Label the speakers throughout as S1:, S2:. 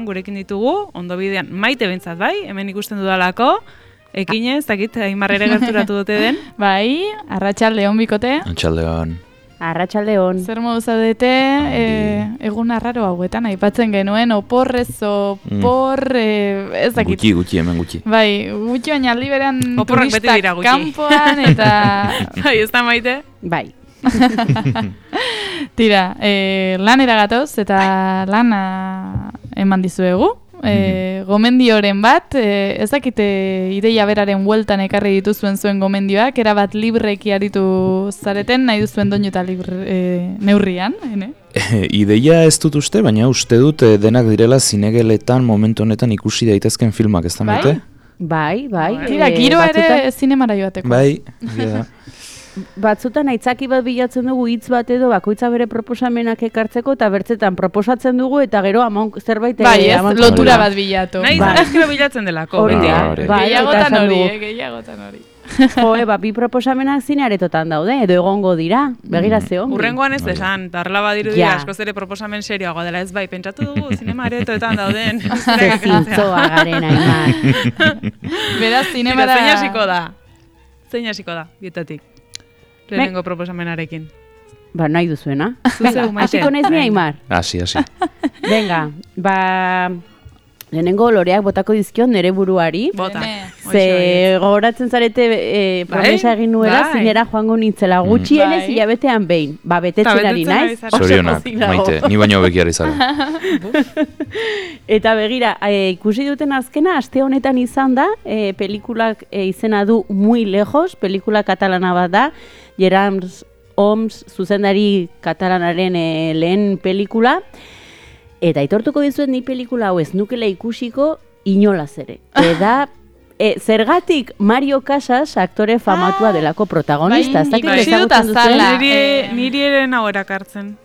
S1: Gurekin ditugu, ondo bidean Maite bentzat bai, hemen ikusten dudalako, ekinez, dakit, Aimar ere gerturatu dute den.
S2: Bai, arratsaldeon bikote.
S3: Arratsaldeon.
S4: Arratsaldeon.
S2: Zer modu zaudete, egun arraro hauetan, aipatzen genuen, oporrez, ez dakit.
S3: Gutxi, hemen gutxi.
S2: Bai, gutxi baina aldi beran
S1: Oporrak beti dira gutxi.
S2: Kanpoan eta...
S1: Bai, ez da Maite?
S4: Bai.
S2: Tira, lanera gatoz eta lana eman dizuegu. Gomendioren bat, ez dakite ideia beraren bueltan ekarri dituzuen zuen gomendioak, erabat libreki aritu zareten, nahi duzuen doinu eta neurrian.
S3: Ideia ez dut uste, baina uste dut denak direla zinegeletan momentu honetan ikusi daitezken filmak, ez da Maite?
S4: Bai.
S2: Tira, giroa ere zinemara joateko.
S3: Bai,
S4: Batzutan aitzaki bat bilatzen dugu hitz bat edo bakoitza bere proposamenak ekartzeko eta bertzetan proposatzen dugu eta gero zerbait
S2: bai, lotura bat bilatu.
S1: Nahi zarazkero bilatzen delako.
S2: Gehiagotan hori.
S4: Bi proposamenak zinearetotan daude, edo egongo dira, begirazio.
S1: Urrengoan ez desan, tarla badiru dira, askoz ere proposamen serioagoa dela ez bai, pentsatu dugu zinemaretoetan dauden.
S4: Zintzoa garen Aimar.
S2: Beraz, zinemara...
S1: Zein hasiko da, bietatik. Lehenengo proposamenarekin.
S4: Nahi duzuena.
S1: Hasiko
S4: naiz ni Aimar.
S3: Hasi.
S4: Venga, lehenengo loreak botako dizkion nere buruari.
S1: Bota.
S4: Ze gogoratzen zarete promesa egin nuela, zinera joango nintzela gutxienez hilabetean behin. Betetzen ari naiz.
S3: Zorionak, Maite, ni baino bekiari zara.
S4: Eta begira, ikusi duten azkena, aste honetan izan da, pelikulak izena du Muy Lejos, pelikula katalana bat da, Gerard Homs zuzendari katalanaren lehen pelikula, eta aitortuko dizuet ni pelikula hau ez nukela ikusiko inolaz ere. Eta zergatik Mario Casas aktore famatua delako protagonista.
S2: Ikusi dut azala.
S1: Niri ere nago erakartzen.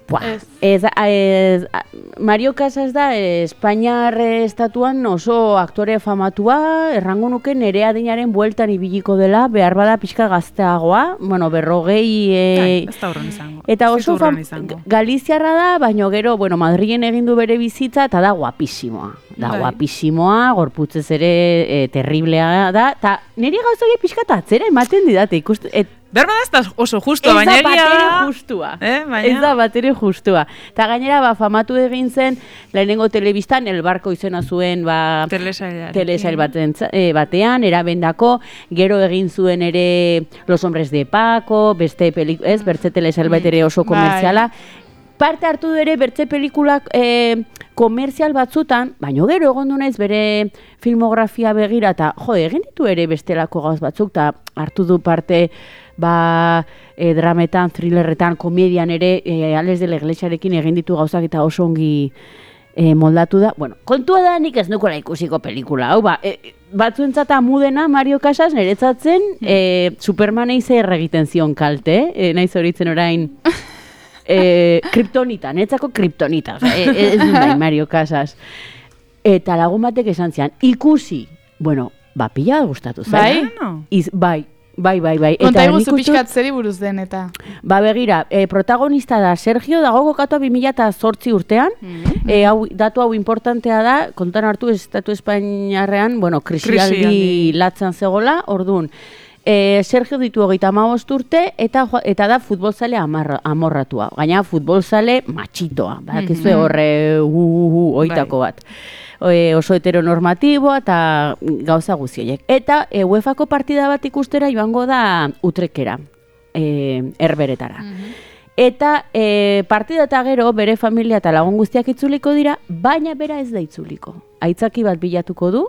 S4: Mario Casas da Espainiar estatuan oso aktore famatua, errango nuke nere adinaren bueltan ibiliko dela, behar bada pixka gazteagoa, 40...
S1: Ez da horren izango.
S4: Eta oso galiziarra da, baina gero, Madrilen egin du bere bizitza, eta da guapisimoa. Guapisimoa, gorputzez ere terriblea da, eta niri gauzoi pixka eta atzera ematen didate ikustu...
S1: Berba da ez oso justu, baina egia...
S4: Ez da batere justua. Eta gainera, famatu egin zen, lehenengo telebistan, El Barko izena zuen, telesail batean, erabendako, gero egin zuen ere Los Hombres de Paco, bertze telesail bat ere oso komertziala. Parte hartu ere bertze pelikulak komertzial batzutan, baino gero egondu naiz bere filmografia begira, eta egin ditu ere bestelako gauz batzuk, eta hartu du parte drametan, thrillerretan, komedian ere, Ales de la Iglesiarekin egin ditu gauzak eta oso ongi moldatu da. Kontua da nik ez nukola ikusiko pelikula, hau batzuentzat amudena Mario Casas niretzatzen Supermanei zer egiten zion kalte, naiz horitzen orain kriptonita, netzako kriptonita, ez dut Mario Casas. Eta lagun batek esan zian, ikusi, pila gustatu zen. Bai.
S2: Konta eguzu pixkat zeri buruz den, eta...
S4: Begira, protagonista da Sergio, dago kokatu 2008 urtean, datu hau importantea da, kontan hartu Estatu Espainiarrean, krisialdi latzan zegoela, orduan, Sergio ditu 35 urte eta da futbolzale amorratua. Gaina futbolzale matxitoa, badakizue horre oitako bat. Oso heteronormatiboa eta gauza guztiek. Eta UEFako partida bat ikustera joango da Utrekera, Herberetara. Eta partida eta gero bere familia eta lagun guztiak itzuliko dira, baina bera ez da itzuliko. Aitzaki bat bilatuko du,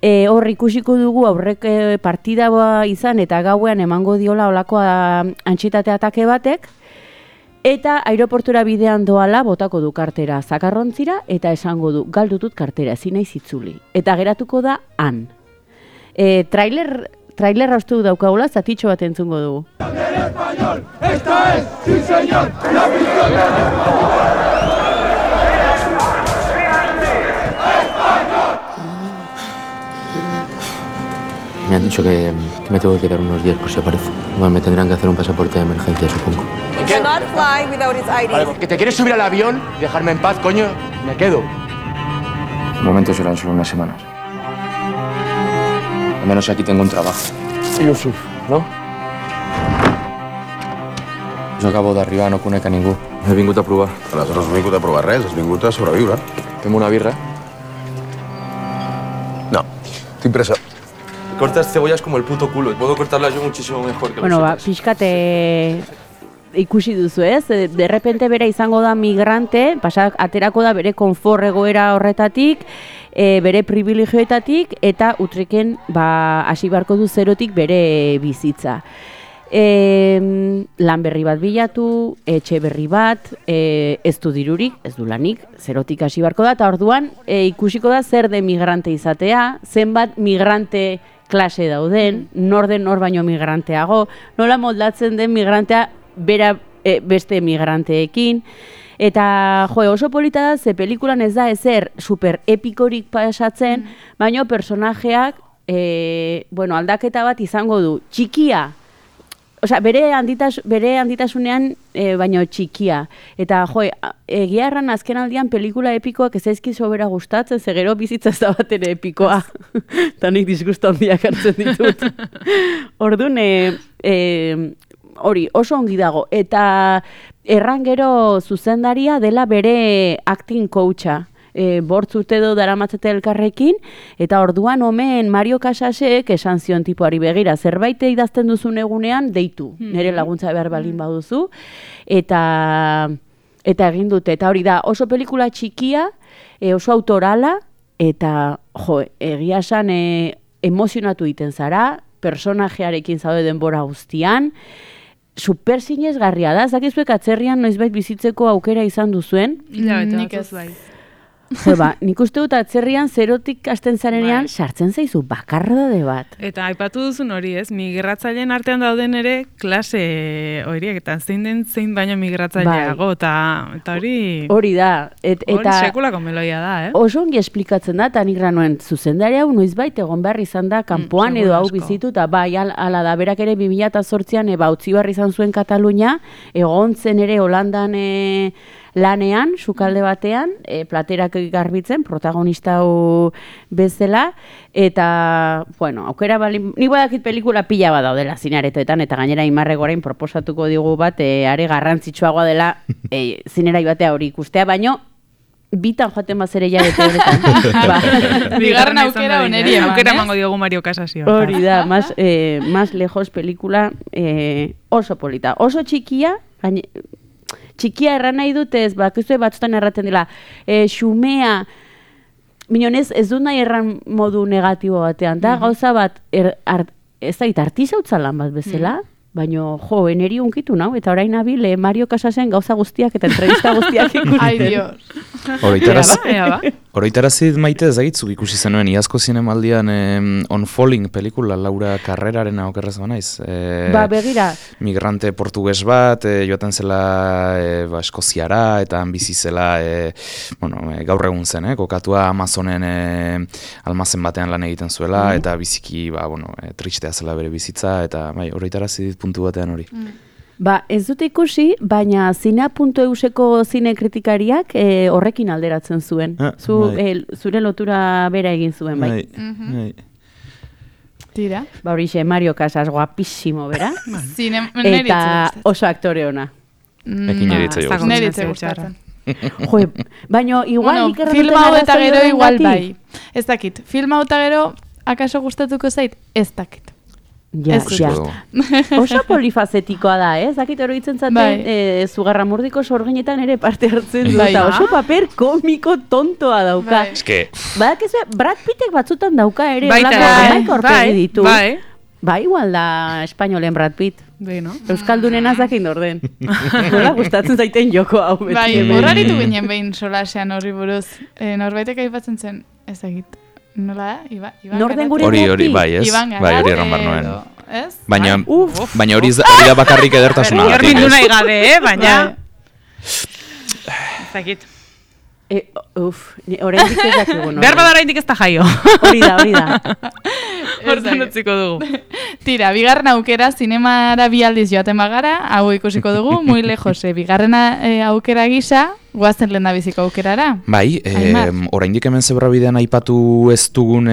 S4: hor ikusiko dugu aurrek partida izan eta gauean emango diola olako antxitate atake batek, eta aireportura bidean doala botako du kartera zakarrontzira eta esango du galdutut kartera ezin naiz itzuli. Eta geratuko da han. Trailerra uste du daukagula, zatitxo bat entzungo dugu. Esta es, sí señor, la
S5: Me han dicho que me tengo que quedar unos días por si aparece. Bueno, me tendrán que hacer un pasaporte de emergencia, supongo.
S6: Cannot fly without his ID.
S5: Vale, ¿que te quieres subir al avión y dejarme en paz, coño? Me quedo. momentos eran solo unas semanas. Al menos aquí tengo un trabajo. I ho surt, no? Jo acabo d'arribar, no conec a ningú. He vingut a provar.
S6: Aleshores no has vingut a provar res, has vingut a sobreviure.
S5: Fem una birra.
S6: No, tinc pressa.
S5: Cortas cebollas como el puto culo. Puedo cortarlas yo muchísimo mejor que
S4: Bueno, pixkate ikusi duzu ez, de repente bera izango da migrante, aterako da bere konfort egoera horretatik, bere privilegioetatik, eta Utreken hasi beharko du zerotik bere bizitza. Lan berri bat bilatu, etxe berri bat, ez du dirurik, ez du lanik, zerotik hasi beharko da, eta orduan ikusiko da zer de migrante izatea, zenbat migrante klase dauden, nor den nor baino migranteago, nola moldatzen den migrantea bera beste migranteekin, eta oso polita da, ze pelikulan ez da ezer super epikorik pasatzen, baino personajeak aldaketa bat izango du, txikia, osea, bere handitasunean baino txikia. Eta, egia erran azken aldian pelikula epikoak ez ezkiz sobera gustatzen, ze gero bizitza ez da bat ere epikoa. Eta nik disgusto handiak hartzen ditut. Orduan, hori, oso ongi dago. Eta erran gero zuzendaria dela bere acting coacha. Bortz urte do daramatzete elkarrekin, eta orduan omen Mario Casasek esan zion tipoari begira, zerbait idazten duzun egunean, deitu, nire laguntza behar balin baduzu, eta egin dute, eta hori da, oso pelikula txikia, oso autorala, eta egia esan emozionatu egiten zara, personajearekin zaude denbora guztian, super sinesgarria da, zakizuek atzerrian noizbait bizitzeko aukera izan duzuen.
S1: Nik ez bai.
S4: Nik uste dut atzerrian zerotik hasten zarenean sartzen zaizu bakardade bat.
S1: Eta aipatu duzun hori ez, migratzaileen artean dauden ere klase horiek, eta zein baino migratzaileago, eta hori...
S4: Hori da.
S1: Hori sekulako meloia da,
S4: Oso ongi esplikatzen da, eta nik ranuen zuzendari hau noizbait egon behar izan da, kanpoan edo hau bizitu, eta bai, ala da, berak ere 2008an utzi behar izan zuen Katalunia, egon zen ere Holandan lanean, sukalde batean, platerak garbitzen, protagonista hau bezala, eta, aukera bali, nik badakit pelikula pila bat daudela zinearetoetan, eta gainera Imarrek orain proposatuko digu bat, are garrantzitsuagoa dela zinerai batea hori ikustea, baino, bitan joaten bazere jarete horretan.
S1: Bigarren aukera oneri eman, aukera emango diogu Mario Casasio.
S4: Hori da, más lejos pelikula oso polita, oso txikia, txikia erran nahi dutez, bakizue batzutan erraten dela, xumea, minonez ez du nahi erran modu negatibo batean, da gauza bat, ez da, artizautza lan bat bezala, baina eneri unkitu nau, eta orain nabil Mario Casasen gauza guztiak eta entrevista guztiak ikusten.
S2: Ai, Dios.
S3: Oroitarazit maite ezagitzuk ikusi zenuen, iazko zinemaldian On Falling pelikula, Laura Carreraren okerrez banaiz.
S4: Begira.
S3: Migrante portugues bat, joaten zela Eskoziara, eta bizi zela, gaur egun zen, kokatua Amazonen almazen batean lan egiten zuela, eta biziki, tristea zela bere bizitza, eta oroitarazit puntu batean hori.
S4: Ez dute ikusi, baina Zinea.euseko zine kritikariak horrekin alderatzen zuen. Zure lotura bera egin zuen, bai.
S2: Tira.
S4: Horixe, Mario Casas, guapísimo, bera?
S2: Eta
S4: oso aktore ona.
S3: Ekin
S2: neritze gustatzen.
S4: Baina igual...
S2: Film hau eta gero igual bai. Ez dakit, film hau eta gero akaso gustatuko zait? Ez dakit.
S4: Ja. Oso polifazetikoa da, Zakit oroitzen zaten, Zugarramurdiko sorginetan ere parte hartzen du, eta oso paper komiko tontoa dauka. Badakizu, Brad Pittek batzutan dauka ere, olako horpegi ditu. Bai, igual da espainolen Brad Pitt. Euskaldunen azakin orden. Nola gustatzen zaiten joko hau.
S2: Bai, horraritu ginen behin solasean horri buruz. Norbaitek aipatzen zen, ezagit. Nola da? Iban
S4: Norden gure
S3: hori, bai, ez?
S2: Iban
S3: Bai, hori erran barnoen.
S2: Ez?
S3: Baina hori da bakarrik edertasuna.
S1: Horrindu nahi gabe, baina... Zakit.
S4: Oraindik ez dakigu.
S1: Behar bada oraindik ez da jaio.
S4: Hori da.
S1: Hortan utziko dugu.
S2: Tira, bigarren aukera, zinemara bi aldiz joaten bagara, hau ikusiko dugu, muy lejos, bigarren aukera gisa, Goazen lehen da biziko aukerara?
S3: Bai, oraindik hemen zebrabidean aipatu ez dugun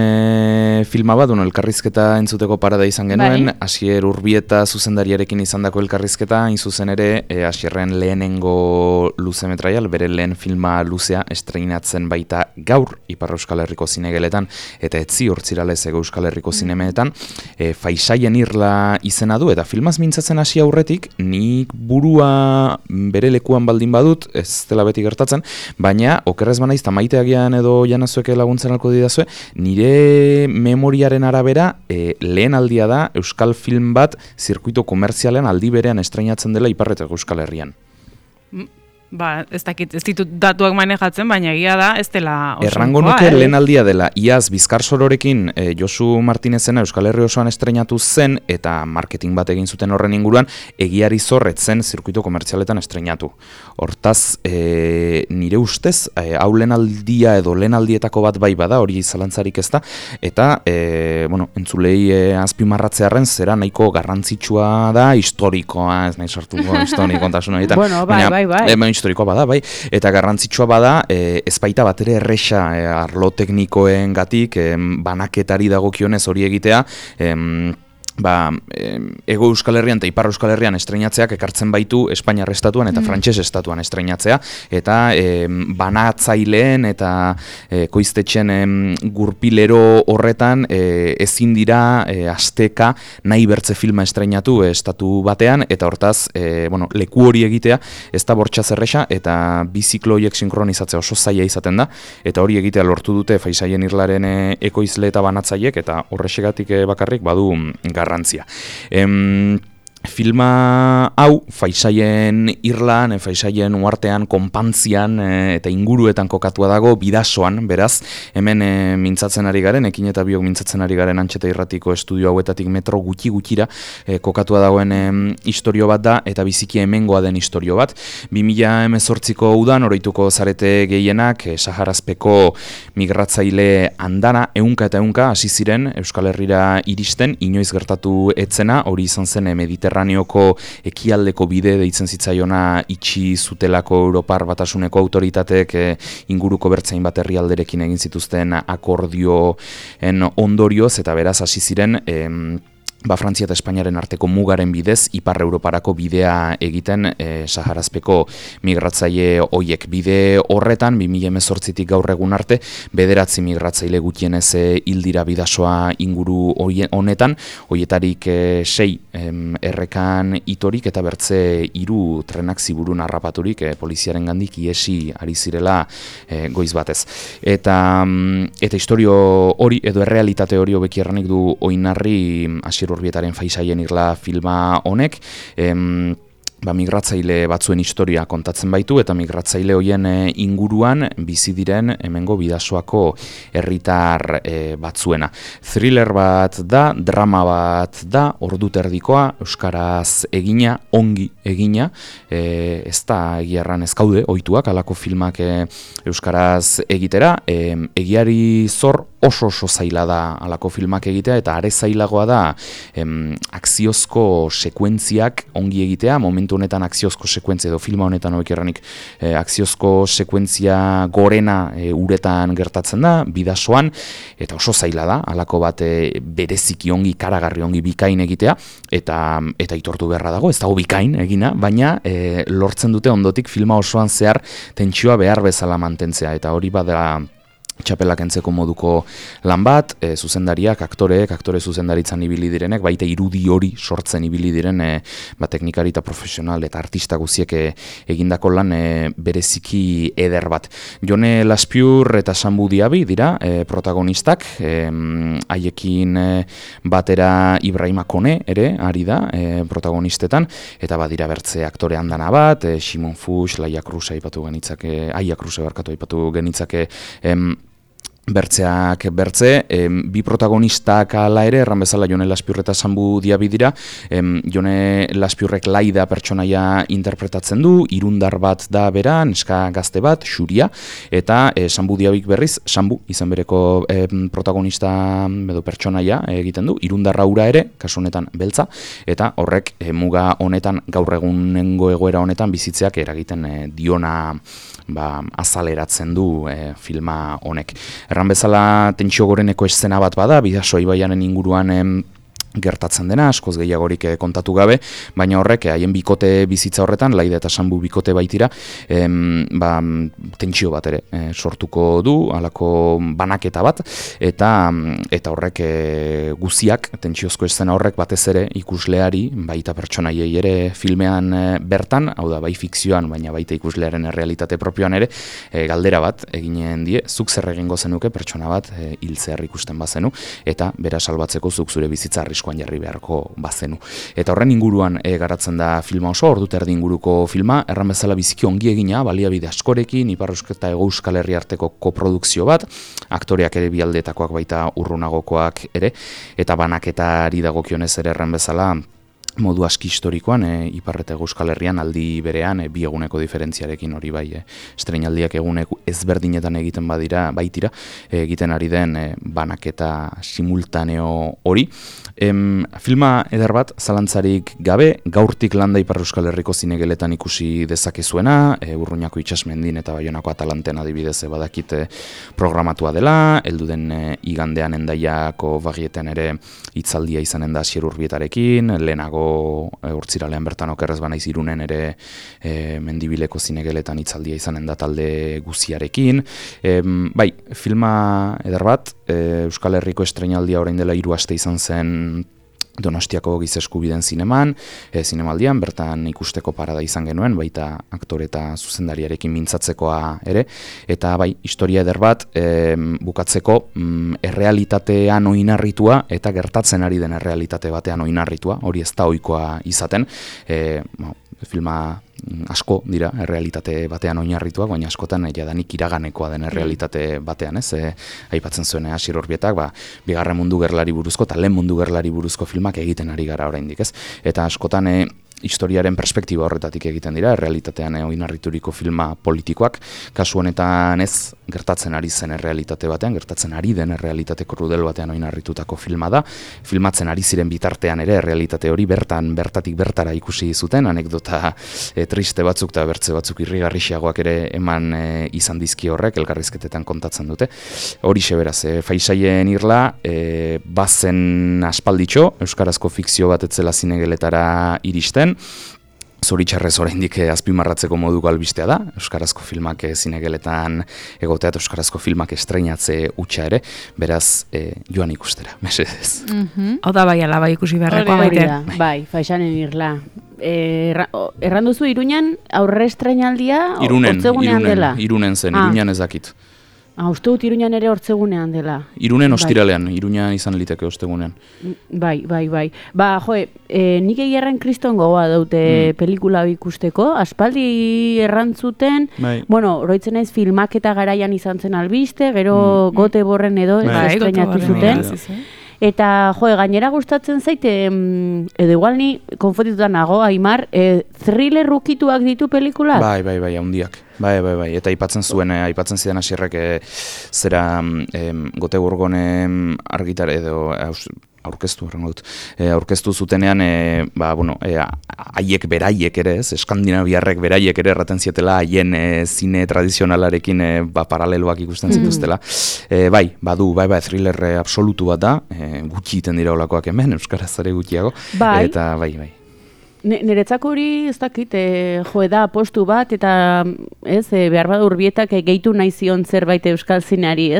S3: filma bat, elkarrizketa entzuteko parada izan genuen, Asier Urbieta zuzendariarekin izandako elkarrizketa, hain zuzen ere, Asierren lehenengo luzemetraial, bere lehen filma luzea estreinatzen baita gaur, Ipar Euskal Herriko zinegeletan, eta etzi hortziralez Ego Euskal Herriko zinemeetan, Faisaien irla izena du, eta filmaz mintzatzen hasi aurretik, nik burua bere lekuan baldin badut, ez dela beti gertatzen, baina okerrez banaiz maiteagian edo janazueke laguntzen alko didazue, nire memoriaren arabera lehen aldia da euskal film bat zirkuito komertzialean aldi berean estreinatzen dela Iparreteko Euskal Herrian.
S1: Ez ditut datuak manejatzen, baina egia da, ez dela oso.
S3: Errango nuke lehen aldia dela, iaz Bizkar Sororekin Josu Martinezena Euskal Herri osoan estreinatu zen, eta marketing bat egin zuten horren inguruan, Egiari Zorretzen zirkuito komertzialetan estreinatu. Hortaz, nire ustez, hau lehen aldia edo lehen aldietako bat bai bada, hori zalantzarik ez da, eta, entzulei azpimarratzearen zera nahiko garrantzitsua da, historikoa, ez nahi sartuko historikontasun horietan.
S4: Bueno, bai.
S3: Historikoa bada, bai, eta garrantzitsua bada, ez baita bat ere erresa arlo teknikoen gatik, banaketari dagokionez hori egitea, Ego Euskal Herrian eta Ipar Euskal Herrian estreinatzeak ekartzen baitu Espainiar estatuan eta Frantses estatuan estreinatzea, eta banatzaileen eta koiztetxen gurpilero horretan ezin dira asteka nahi bertze filma estreinatu estatu batean, eta hortaz leku hori egitea ez da bortxaz erresa, eta bi ziklo horiek sinkronizatzea oso zaila izaten da, eta hori egitea lortu dute Faisaien irlaren ekoizle eta banatzaiek, eta horrexegatik bakarrik badu garrantzia. Filma hau Faisaien irlan, Faisaien uartean, konpantzian eta inguruetan kokatua dago, Bidasoan, beraz, hemen mintzatzen ari garen, Ekin eta Biok mintzatzen ari garen Antxeta Irratiko estudio hauetatik metro gutxira kokatua dagoen istorio bat da, eta biziki hemengoa den istorio bat. 2018ko udan, oroituko zarete gehienak, Saharazpeko migratzaile andana, ehunka eta ehunka hasi ziren Euskal Herrira iristen, inoiz gertatu etzena, hori izan zen Mediterraneoko ekialdeko bide deitzen zitzaiona itxi zutelako Europar Batasuneko autoritateek inguruko bertzain bat herrialderekin egin zituzten akordioen ondorioz, eta beraz hasi ziren Frantzia eta Espainiaren arteko mugaren bidez, Ipar Europarako bidea egiten Saharazpeko migratzaile hoiek. Bide horretan, 2018tik gaur egun arte, 9 migratzaile gutienez hil dira Bidasoa inguru honetan, hoietarik 6 errekan itorik eta bertze 3 trenak ziburun harrapaturik poliziaren gandik iesi ari zirela goiz batez. Eta istorio hori, edo errealitate hori hobeki erranik du oinarri Asier Urbietaren Faisaien irla filma honek, migratzaile batzuen historia kontatzen baitu, eta migratzaile hoien inguruan bizi diren hemengo Bidasoako herritar batzuena. Thriller bat da, drama bat da, orduterdikoa, euskaraz egina, ongi egina, ez da egiarran ez gaude, ohituak alako filmak euskaraz egitera, Egiari Zor oso zaila da alako filmak egitea, eta are zailagoa da akziozko sekuentziak ongi egitea, momentu honetan akziozko sekuentzia edo filma honetan hobekerranik akziozko sekuentzia gorena uretan gertatzen da, Bidasoan, eta oso zaila da, alako bat bereziki ongi, karagarri ongi bikain egitea, eta aitortu beharra dago, ez dago bikain egina, baina lortzen dute ondotik filma osoan zehar tentsioa behar bezala mantentzea, eta hori bada txapelak entzeko moduko lan bat, zuzendariak, aktore zuzendaritzan ibili direnek, baita irudi hori sortzen ibili diren teknikari eta profesional eta artista guziek egindako lan bereziki eder bat. Jone Laspiur eta Sambu Diabi dira protagonistak, haiekin batera Ibrahima Kone ere ari da protagonistetan, eta badira bertze aktore handana bat, Simon Fuchs, Aia Kruse aipatu genitzake, bertzeak bertze, bi protagonistak ala ere, erran bezala Jone Laspiur eta Sambu Diabi dira, Jone Laspiurrek Laida pertsonaia interpretatzen du, irundar bat da bera, neska gazte bat, Xuria, eta Sambu Diabik berriz, Sambu izan bereko protagonista edo pertsonaia egiten du, irundar aura ere, kasu honetan beltza, eta horrek muga honetan, gaur egunengo egoera honetan bizitzeak eragiten diona azaleratzen du filma honek. Erran bezala tentsio goreneko eszena bat bada, Bidasoa ibaiaren inguruan gertatzen dena, askoz gehiagorik kontatu gabe, baina horrek haien bikote bizitza horretan, Laida eta Sanbu bikote baitira, tentsio bat ere sortuko du, halako banaketa bat, eta horrek guziak, tentsiozko eszena horrek batez ere ikusleari, baita pertsonaiei ere filmean bertan, hau da, bai fikzioan, baina baita ikuslearen realitate propioan ere, galdera bat eginen die, zuk zer egingo zenuke pertsona bat hiltzear ikusten bazenu, eta bera salbatzeko zuk zure bizitza arriskuan jarri beharko bazenu. Eta horren inguruan garatzen da filma oso, ordu terdi inguruko filma, erran bezala biziki ongi egina, baliabide askorekin, Ipar Euskal eta Hego Euskal Herria arteko koprodukzio bat, aktoreak ere bialdetakoak baita urrunagokoak ere, eta banaketari dagokionez ere erran bezala, modu aski historikoan, Ipar eta Hego Euskal Herrian aldi berean, bi eguneko diferentziarekin hori bai, estreinaldiak egunek ezberdinetan egiten baitira, egiten ari den banaketa simultaneo hori. Filma eder bat, zalantzarik gabe, gaurtik landa Ipar Euskal Herriko zinegeletan ikusi dezakezuena, Urruñako itsasmendin eta Baionako Atalanten adibidez badakit programatua dela, heldu den igandean Hendaiako Bagietan ere hitzaldia izanen da Asier Urbietarekin, lehenago Hortziralean bertan okerrez banaiz Irunen ere Mendibileko zinegeletan hitzaldia izanen da talde guziarekin. Bai, filma eder bat, Euskal Herriko estreinaldia orain dela 3 aste izan zen Donostiako Giza Eskubideen zinemaldian, bertan ikusteko parada izan genuen, baita aktore eta zuzendariarekin mintzatzekoa ere, eta bai, historia eder bat, bukatzeko errealitatean oinarritua eta gertatzen ari den errealitate batean oinarritua, hori ez da ohikoa izaten, filma asko dira errealitate batean oinarrituak, baina askotan jadanik iraganekoa den errealitate batean, aipatzen zuen Asier Urbietak, Bigarren Mundu Gerlari buruzko eta Lehen Mundu Gerlari buruzko filmak egiten ari gara oraindik, eta askotan historiaren perspektiba horretatik egiten dira, errealitatean oinarrituriko filma politikoak, kasu honetan ez gertatzen ari zen errealitate batean, gertatzen ari den errealitate krudel batean oinarritutako filma da, filmatzen ari ziren bitartean ere errealitate hori bertatik bertara ikusi zuten, anekdota triste batzuk eta bertze batzuk irrigarrixeagoak ere eman izan dizki horrek, elkarrizketetan kontatzen dute. Horixe beraz, Faisaien irla, bazen aspalditxo, euskarazko fikzio bat etzela zinegeletara iristen, zoritxarrez oraindik azpimarratzeko moduko albistea da, euskarazko filmak zinegeletan egotea eta euskarazko filmak estreinatze hutsa ere, beraz joan ikustera, mesedez.
S1: Hau da bai alaba ikusi beharrekoa baite.
S4: Bai, Faisanen irla. Erran duzu Iruñan aurre estreinaldia hortzegunean dela?
S3: Irunen zen, Iruñan ez dakit.
S4: Uste dut Iruñan ere hortzegunean dela.
S3: Irunen ostiralean, Iruñan izan liteke ostegunean.
S4: Bai. Nik egierren kriston gogoa daute pelikula ikusteko, aspaldi errantzuten, oroitzen naiz filmaketa garaian izan zen albiste, gero Gote Borren edo estreinatu zuten. Eta, gainera gustatzen zaite, edo igual ni konfotituta nago, Aimar, thriller rukituak ditu pelikulak?
S3: Bai, handiak. Bai, eta aipatzen zidan Asierrek zera Gote Borgon argitar edo aurkeztu zutenean, haiek beraiek ere, eskandinaviarrek beraiek ere erraten zietela haien zine tradizionalarekin paraleloak ikusten zituztela. Bai, thriller absolutu bat da, gutxi iten dira olakoak hemen, euskaraz ere gutxiago, eta bai.
S4: Niretzako hori ez dakit, da postu bat, eta behar bada Urbietak gehitu nahi zion zerbait euskal zineari,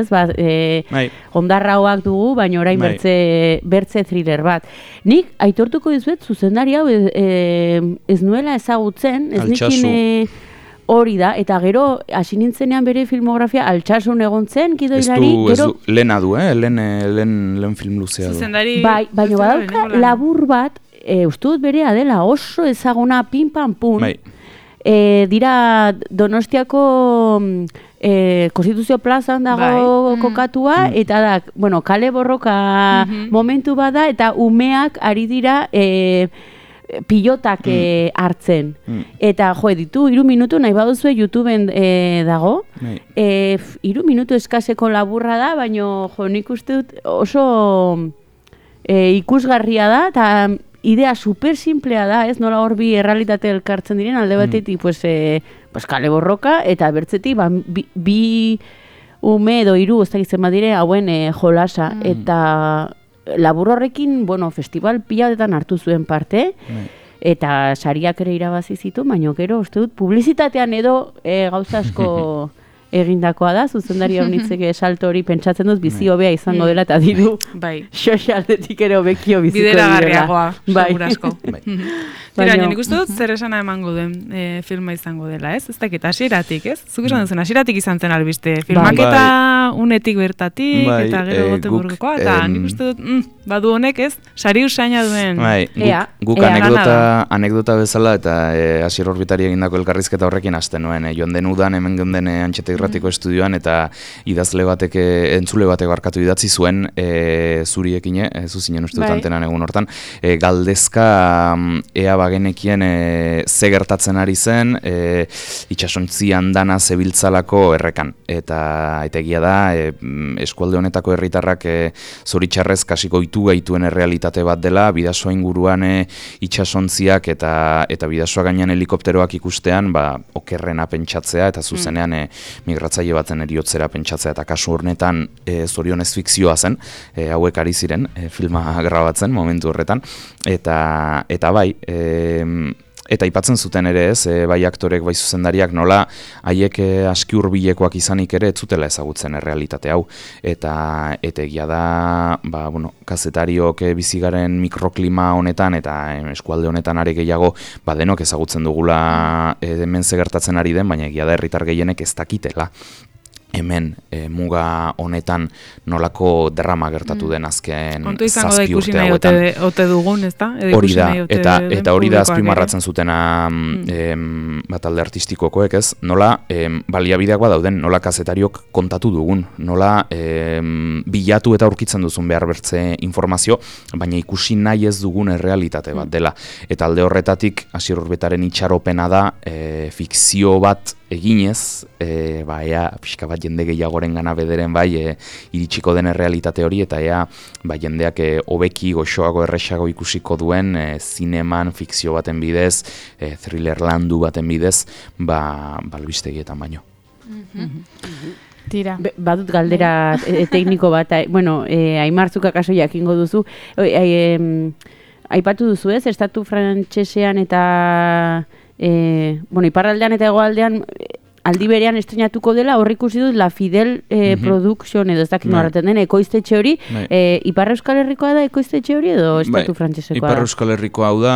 S4: ondarrauak dugu, baina orain bertze thriller bat. Nik aitortuko dizuet zuzendari hau ez nuela ezagutzen, ez nikin hori da, eta gero hasi nintzenean bere filmografia Altsasun egon zen, gidoilari.
S3: Ez du, lehena du, lehen film luzea du.
S4: Baina badauka labur bat, uste dut berea dela oso ezaguna pin-pan-pun. Dira Donostiako Konstituzio plazan dago kokatua, eta da, kale borroka momentu bada, eta umeak ari dira pilotak hartzen. Eta ditu, 3 minutu, nahi baduzue YouTubeen dago. 3 minutu eskaseko laburra da, baina nik uste dut oso ikusgarria da, eta idea super simplea da, ez? Nola hor bi errealitate elkartzen diren, alde batetik, pues kale borroka, eta bertzetik, bi ume edo hiru, ez dakit zenbat dire, hauen jolasa, eta labur horrekin, bueno, festival piladetan hartu zuen parte, eta sariak ere irabazi zitu, baina gero, uste dut, publizitatean edo gauza asko egindakoa da, zuzendari honitzeke salto hori pentsatzen dut bizi hobea izango dela, eta diru sozialdetik ere hobekio biziko dira.
S1: Bideragarriagoa, segurasko. Tira, nik uste dut zer esana emango den filma izango dela, ez? Ez dakit, hasieratik, ez? Zuk esan duzen, hasieratik izan zen albiste. Filmaketa unetik bertatik, eta gero Gotemburgokoa, eta nik uste dut, badu honek, ez? Sari usaina duen.
S3: Guk anekdota bezala, eta Asier Orbitari egindako elkarrizketa horrekin hasten nuen. Joan den udan, hemen geunden Antxeta Irratiko estudioan, eta idazle batek, entzule batek barkatu idatzi zuen, zuriekin, zuzinen uste dut antenan egun hortan, galdezka ea bagenekien ze gertatzen ari zen, itxasontzi andana zebiltzalako errekan. Eta egia da, eskualde honetako herritarrak zoritxarrez kasiko itu gaituen errealitate bat dela, bidasoa inguruan itxasontziak eta bidasoa gainean helikopteroak ikustean, okerrena pentsatzea, eta zuzenean migratzaile baten eriotzera pentsatzea, eta kasu hornetan zorionez fikzioa zen, hauek ari ziren filma grabatzen momentu horretan, eta bai, eta aipatzen zuten ere ez, bai aktorek, bai zuzendariak nola haiek aski hurbilekoak izanik ere ez zutela ezagutzen errealitate hau, eta egia da, kazetariok bizigaren mikroklima honetan eta eskualde honetan are gehiago denok ezagutzen dugula hemen ze gertatzen ari den, baina egia da herritar gehienek ez dakitela hemen muga honetan nolako drama gertatu den azken 7 urte hauetan.
S1: Kontu izango da ikusi nahi ote dugun, ezta?
S3: Hori da, eta hori da azpimarratzen zutena talde artistikokoek, ez? Nola baliabideak dauden, nola kazetariok kontatu dugun, nola bilatu eta aurkitzen duzun behar bertze informazio, baina ikusi nahi ez dugun errealitate bat dela. Eta alde horretatik, Asier Orbitaren itxaropena da, fikzio bat eginez, ea pixka bat jende gehiagoren gana bederen iritsiko den errealitate hori, eta ea jendeak hobeki goxoago erresago ikusiko duen zineman, fikzio baten bidez, thriller landu baten bidez, albistegietan baino.
S2: Tira.
S4: Badut galdera tekniko bat, Aimartzuk akaso jakingo duzu, aipatu duzu ez, estatu frantsesean eta iparraldean eta hegoaldean aldi berean estrenatuko dela, hor ikusi dut La Fidel Production edo ez dakit norraten den, ekoiztetxe hori, Ipar Euskal Herrikoa da ekoiztetxe hori edo estatu frantsesekoa da?
S3: Ipar Euskal Herrikoa hau da,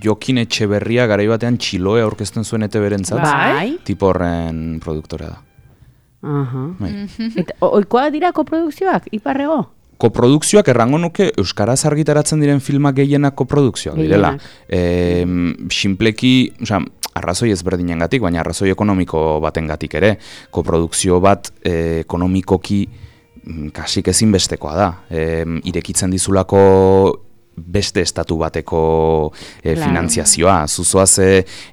S3: Jokin Etxeberria garai batean Txiloe aurkezten zuen ETB-rentzat, tipo horren produktora da.
S4: Eta oikoa dira koprodukzioak, Iparrego?
S3: Koprodukzioak errango nuke euskaraz argitaratzen diren filmak gehienak koprodukzioak direla. Sinpleki, arrazoi ezberdinengatik, baina arrazoi ekonomiko batengatik ere. Koprodukzio bat ekonomikoki kasik ezinbestekoa da. Irekitzen dizulako beste estatu bateko finantziazioa. Zuzoaz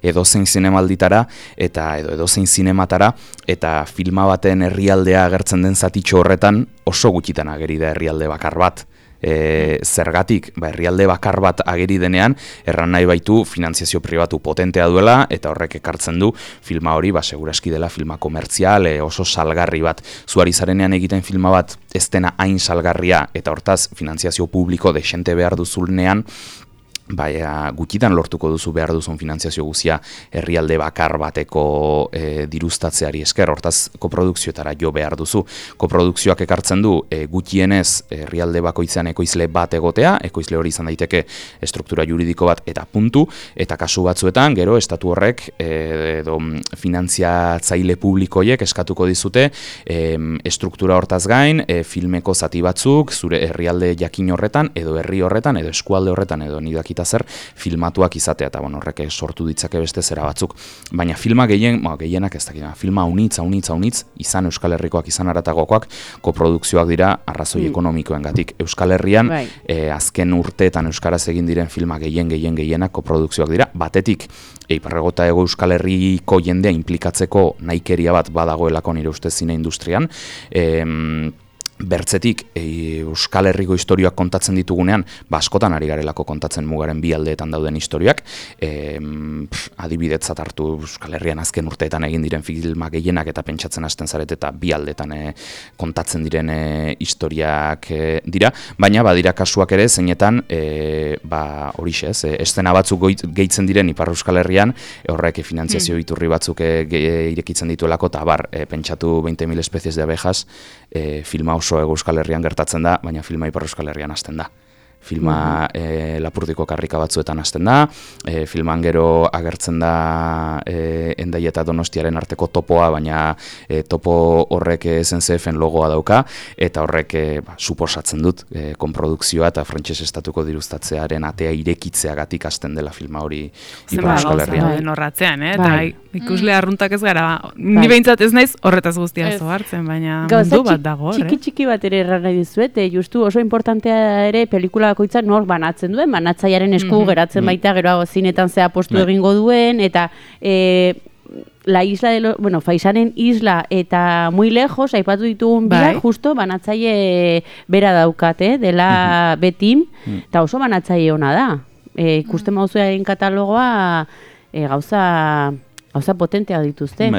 S3: edozein zinemalditara eta edozein zinematara, eta filma baten herrialdea agertzen den zatitxo horretan oso gutxitan ageri da herrialde bakar bat. Zergatik, herrialde bakar bat ageri denean, erran nahi baitu finantziazio pribatu potentea duela, eta horrek ekartzen du filma hori, seguraski dela filma komertzial, oso salgarri bat. Zuari zarenean egiten filma bat ez dena hain salgarria, eta hortaz finantziazio publiko desente behar duzulnean, gutxitan lortuko duzu behar duzun finantziazio guzia herrialde bakar bateko diruztatzeari esker, hortaz koprodukzioetara jo behar duzu. Koprodukzioak ekartzen du gutxienez herrialde bakoitzean ekoizle bat egotea, ekoizle hori izan daiteke estruktura juridiko bat eta puntu, eta kasu batzuetan, gero, estatu horrek edo finantziatzaile publikoiek eskatuko dizute estruktura hortaz gain, filmeko zati batzuk, zure herrialde jakin horretan, edo herri horretan, edo eskualde horretan, edo nidak zer filmatuak izatea, eta horrek sortu ditzake beste zera batzuk. Baina filma gehienak ez dakit, filma unitz, izan Euskal Herrikoak, izan haratagokoak, koprodukzioak dira arrazoi ekonomikoengatik. Euskal Herrian, azken urteetan euskaraz egin diren filma gehienak koprodukzioak dira, batetik, Iparrego eta Hego Euskal Herriko jendea inplikatzeko nahikeria bat badagoelako nire ustez zine industrian, bertzetik Euskal Herriko historioak kontatzen ditugunean, askotan ari garelako kontatzen mugaren bi aldeetan dauden historiak, adibidetzat hartu Euskal Herrian azken urteetan egin diren filmak gehienak eta pentsatzen hasten zaret eta bi aldeetan kontatzen diren historiak dira, baina badira kasuak ere zeinetan horixe ez, eszena batzuk gehitzen diren Ipar Euskal Herrian, horrek finantziazio iturri batzuk irekitzen dituelako, eta pentsatu 20.000 especies de abejas, filma oso Euskal Herrian gertatzen da, baina filma Ipar Euskal Herrian hasten da. Filma Lapurdiko karrika batzuetan hasten da, filman gero agertzen da Hendaia eta Donostiaren arteko topoa, baina topo horrek SNCF-en logoa dauka, eta horrek suposatzen dut konprodukzioa eta frantses estatuko diruztatzearen atea irekitzeagatik hasten dela filma hori Ipar Euskal Herrian.
S1: Zenba norratzean, eta ikusle arruntak ez gara, ni behintzat ez naiz horretaz guztia hartzen, baina mundu bat dago.
S4: Txiki bat ere erran nahi dizuet, justu oso importantea ere pelikula bakoitza nor banatzen duen, banatzailearen esku geratzen baita, gero zinetan zea postu egingo duen, eta la isla de Faisanen isla eta muy lejos, aipatu ditugun biak, justo banatzaile bera daukate, dela Betim, eta oso banatzaile ona da. Ikusten mauzuaren katalogoa gauza potentea dituzte.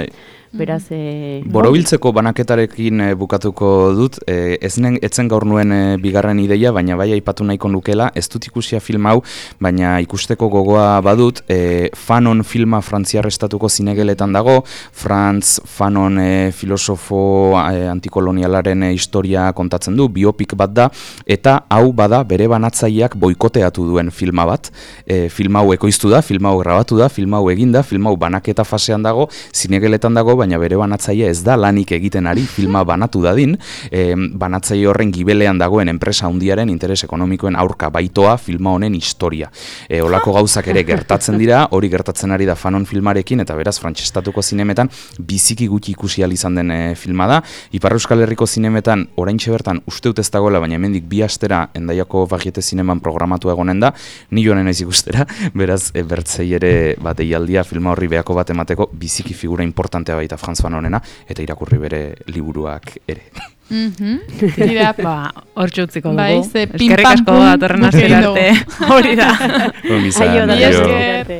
S4: Beraz,
S3: Borobiltzeko banaketarekin bukatuko dut, etzen gaur nuen bigarren ideia, baina bai aipatu nahiko nukela, ez dut ikusia film hau, baina ikusteko gogoa badut, Fanon filma frantziar estatuko zinegeletan dago, Franz Fanon filosofo antikolonialaren historia kontatzen du, biopik bat da, eta hau bada bere banatzaileak boikoteatu duen filma bat, film hau ekoiztu da, film hau grabatu da, film hau eginda, film hau banaketa fasean dago, zinegeletan dago, baina bere banatzaile ez da lanik egiten ari filma banatu dadin, banatzaile horren gibelean dagoen enpresa handiaren interes ekonomikoen aurka baitoa filma honen historia. Olako gauzak ere gertatzen dira, hori gertatzen ari da Fanon filmarekin, eta beraz frantsestatuko zinemetan biziki gutxi ikusi ahal izan den filma da. Ipar Euskal Herriko zinemetan oraintxe bertan uste dut ez dagoela, baina hemendik 2 astera Hendaiako Varieté zineman programatu egonen da, ni joan naiz ikustera, beraz bertzei ere deialdia filma horri behako bat emateko biziki figura importantea baita Franz Fanonena, eta irakurri bere liburuak ere.
S1: Dira, hor txutziko dugu.
S2: Eskerrik asko
S1: datorren astera arte. Hori da.
S3: Ongi izan.
S4: Aio, da.